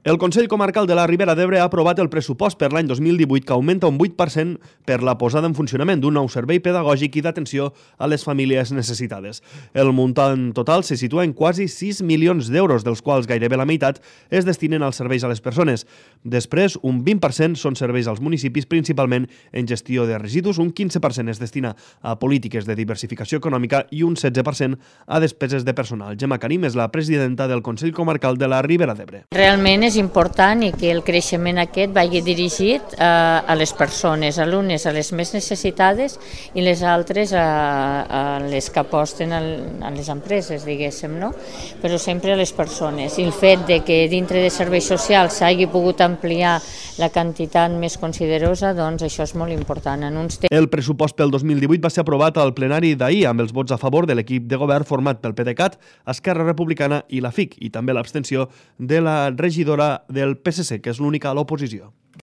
El Consell Comarcal de la Ribera d'Ebre ha aprovat el pressupost per l'any 2018 que augmenta un 8% per la posada en funcionament d'un nou servei pedagògic i d'atenció a les famílies necessitades. El muntant total se situa en quasi 6 milions d'euros, dels quals gairebé la meitat es destinen als serveis a les persones. Després, un 20% són serveis als municipis, principalment en gestió de residus, un 15% es destina a polítiques de diversificació econòmica i un 16% a despeses de personal. Gemma Karim és la presidenta del Consell Comarcal de la Ribera d'Ebre. Realment és important i que el creixement aquest vagi dirigit a les persones, alumnes, a les més necessitades i les altres a les que aposten a les empreses, diguéssim, no? Però sempre a les persones. I el fet de que dintre de serveis socials s'hagi pogut ampliar la quantitat més considerosa, doncs això és molt important. El pressupost pel 2018 va ser aprovat al plenari d'ahir amb els vots a favor de l'equip de govern format pel PDeCAT, Esquerra Republicana i la FIC, i també l'abstenció de la regidora del PSC, que és l'única a l'oposició.